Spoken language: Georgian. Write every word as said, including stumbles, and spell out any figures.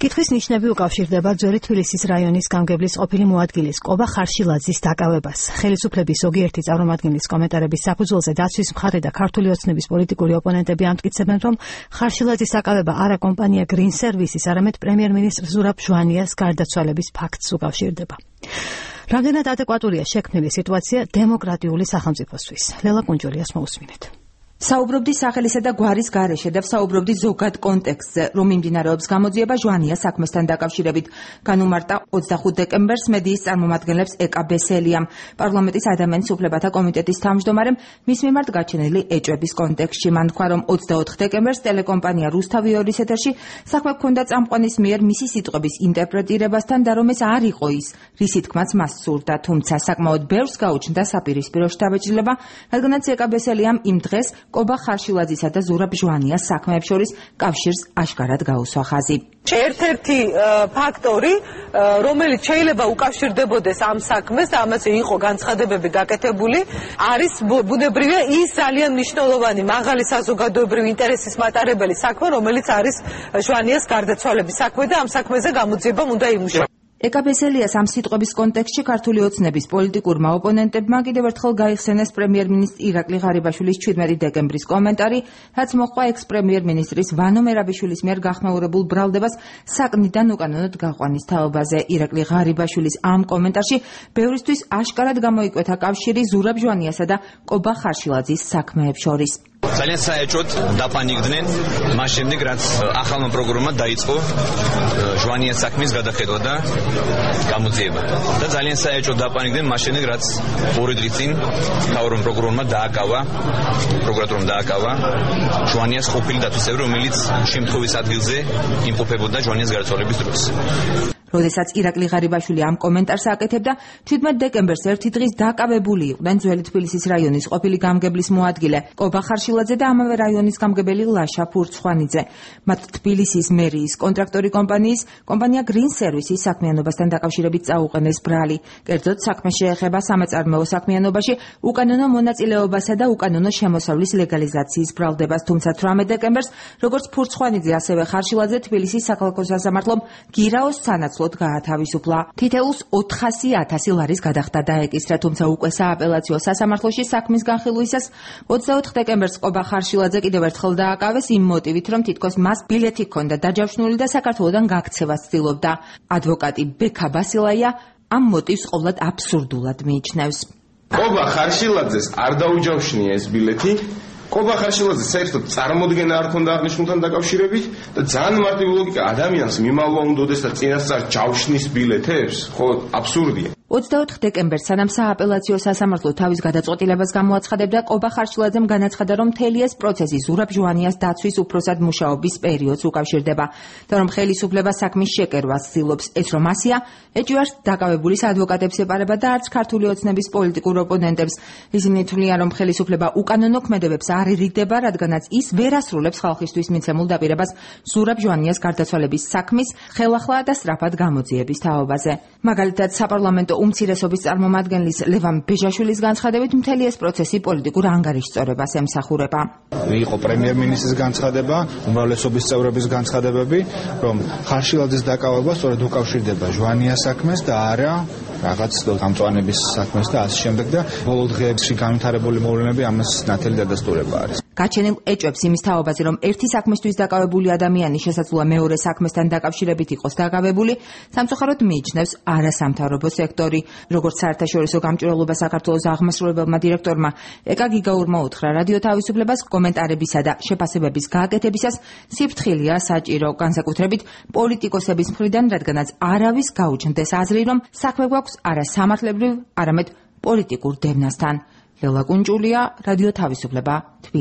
კითხვის ნიშნები უკავშირდება ძველი თბილისის რაიონის გამგებლის ყოფილი მოადგილის კობა ხარშილაძის დაკავებას. ხელისუფლების ზოგიერთი წარმომადგენლის კომენტარების საფუძველზე დაცვის მხარე და ქართული ოცნების პოლიტიკური ოპონენტები ამტკიცებენ, რომ ხარშილაძის დაკავება არა კომპანია Green Services, არამედ პრემიერ-მინისტრ ზურაბ ჟვანიას გარდაცვალების ფაქტს უკავშირდება. რამდენად ადეკვატურია შექმნილი სიტუაცია დემოკრატიული სახელმწიფოსთვის? ლელა კუნჯულიას მოусმინეთ. საუბრობდი სახელისა და გვარის გარეშე და საუბრობდი ზოგად კონტექსტზე, რომ მიმდინარეობს გამოძიება ჟვანიას საქმესთან დაკავშირებით. განუმარტა ოცდახუთ დეკემბერს მედიის წარმომადგენლებს ეკა ბესელიამ, პარლამენტის ადამიანის უფლებათა კომიტეტის თავმჯდომარემ, მის მიმართ გაჩენილი ეჭვების კონტექსტში. მან თქვა, რომ ოცდაოთხ დეკემბერს ტელეკომპანია რუსთავი ორის ეთერში საქმე ჰქონდა წამყვანის მიერ მისი სიტყვების ინტერპრეტირებასთან და რომ ეს არ იყო ის, რის თქმაც მას სურდა, თუმცა საკმაოდ ბევრს გაუჩნდა საპირისპირო შთაბეჭდილება, რადგანაც ეკა ბესელიამ იმ დღეს კობა ხარშილაძისა და ზურაბ ჟვანიას საქმეებს შორის კავშირს აშკარად გაუსვა ხაზი. ერთ-ერთი ფაქტორი, რომელიც შეიძლება უკავშირდებოდეს ამ საქმეს და ამაზე იყო განცხადებები გაკეთებული, არის ბუნებრივია ის ძალიან მნიშვნელოვანი მაღალი საზოგადოებრივი ინტერესის მატარებელი საქმე, რომელიც არის ჟვანიას გარდაცვალების საქმე და ამ საქმეზე გამოძიებამ უნდა იმუშაოს. ეკა ბესელიას ამ სიტყვების კონტექსტში ქართული ოცნების პოლიტიკურმა ოპონენტებმა კიდევ ერთხელ გაიხსენეს პრემიერ-მინისტრ ირაკლი ღარიბაშვილის ჩვიდმეტი დეკემბრის კომენტარი, რაც მოჰყვა ექს-პრემიერ-მინისტრის ვანო მერაბიშვილის მიერ გახმაურებულ ბრალდებას საკნიდან უკანონოდ გაყვანის თაობაზე. ირაკლი ღარიბაშვილის ამ კომენტარში ბევრისთვის აშკარად გამოიკვეთა კავშირი ზურაბ ჟვანიასა და კობა ხარშილაძის საქმეებს შორის. ძალიან საეჭვოდ დაპანიგდნენ მას შემდეგ, რაც ახალმა პროკურორმა დაიწყო ჟვანიას საქმის გადახედვა და გამოძიება. და ძალიან საეჭვოდ დაპანიგდნენ მას შემდეგ, რაც ორი დღის წინ მთავრობამ პროკურორმა დააკავა, პროკურატურამ დააკავა ჟვანიას ყოფილი დათვისებრი, რომელიც შემთხვევის ადგილზე იმყოფებოდა ჟვანიას გარდაცვალების დროს. როდესაც ირაკლი ღარიბაშვილი ამ კომენტარს აკეთებდა, ჩვიდმეტ დეკემბერს ერთი დღის დაკავებული იყვნენ ძველი თბილისის რაიონის ყოფილი გამგებლის მოადგილე კობა ხარშილაძე და ამავე რაიონის გამგებელი ლაშა ფურცხვანიძე. მათ თბილისის მერიის კონტრაქტორი კომპანიის კომპანია Green Services საქმიანობასთან დაკავშირებით წაუყენეს ბრალი. კერძოდ საქმე შეეხება სამეწარმეო საქმიანობაში უკანონო მონაწილეობასა და უკანონო შემოსავლის ლეგალიზაციის ბრალდებას. თუმცა თვრამეტ დეკემბერს, როგორც ფურცხვანიძე, ასევე ხარშილაძე თბილისის საქალაქო სასამართლომ გირაოს სანაცვლოდ გაათავისუფლა. თითეულს ოთხასი ათასი ლარის გადახდა დაეკისრა, თუმცა უკვე სააპელაციო სასამართლოში საქმის განხილვისას ოცდაოთხ დეკემბერს კობა ხარშილაძე კიდევ ერთხელ დააკავეს იმ მოტივით, რომ თითქოს მას ბილეთი ჰქონდა დაჯავშნული და საქართველოდან გაქცევას ცდილობდა. ადვოკატი ბექა ბასილაია ამ მოტივს ყოვლად აბსურდულად მიიჩნევს. კობა ხარშილაძეს არ დაუჯავშნია ეს ბილეთი. კობა ხარშილაძე საერთოდ წარმოდგენა არ ქონდა აღნიშნულთან დაკავშირებით და ძალიან მარტივი ლოგიკა ადამიანს მიმალვა უნდოდეს და წინასწარ ჯავშნის ბილეთებს, ხო, აბსურდია. ოცდაოთხ დეკემბერს სანამ სააპელაციო სასამართლო თავის გადაწყვეტილებას გამოაცხადებდა, კობა ხარშილაძემ განაცხადა, რომ მთელი ეს პროცესი ზურაბ ჟვანიას დაცვის უფროსად მუშაობის პერიოდს უკავშირდება და რომ ხელისუფლება საქმის შეკერვას ცდილობს. ეს რომ ასია, ეჭვი არც დაკავებულის ადვოკატებს ეპარება და არც ქართული ოცნების პოლიტიკურ ოპონენტებს. ისინი თვლიან, რომ ხელისუფლება უკანონო ქმედებებს არ ერიდდება, რადგანაც ის ვერ ასრულებს ხალხისთვის მიცემულ დაპირებას ზურაბ ჟვანიას გარდაცვალების საქმის ხელახლა და სწრაფად გამოძიების თაობაზე. მაგალითად, საპარლამენტო უმცირესობის წარმომადგენლის ლევან ბეჟაშვილის განცხადებით, მთელი ეს პროცესი პოლიტიკურ ანგარიშწორებას ემსახურება. იყო პრემიერ-მინისტრის განცხადება, უმრავლესობის წევრების განცხადებები, რომ ხარშილაძის დაკავება სწორედ უკავშირდება ჟვანიას საქმეს და არა რაღაც გამწვანების საქმეს და ასე შემდეგ და ბოლო დღეებში განვითარებული მოვლენები ამას ნათელი დადასტურება არის. გაჩენილ ეჭვებს იმის თაობაზე, რომ ერთი საქმისთვის დაკავებული ადამიანი შესაძლოა მეორე საქმესთან დაკავშირებით იყოს დაკავებული, სამწუხაროდ მიიჩნევს არასამთავრობო სექტორი. როგორც საერთაშორისო გამჭვირვალობა საქართველოს აღმასრულებელმა დირექტორმა ეკა გიგაურმა უთხრა, რადიო თავისუფლებას კომენტარებისა და შეფასებების გააკეთებისას სიფრთხილეა საჭირო, განსაკუთრებით პოლიტიკოსების მხრიდან, რადგანაც არავის გაუჩნდეს აზრი, რომ საქმე გვაქვს არა სამართლებრივ, არამედ პოლიტიკურ დევნასთან. ლელა კუნჯულია, რადიო თავისუფლება.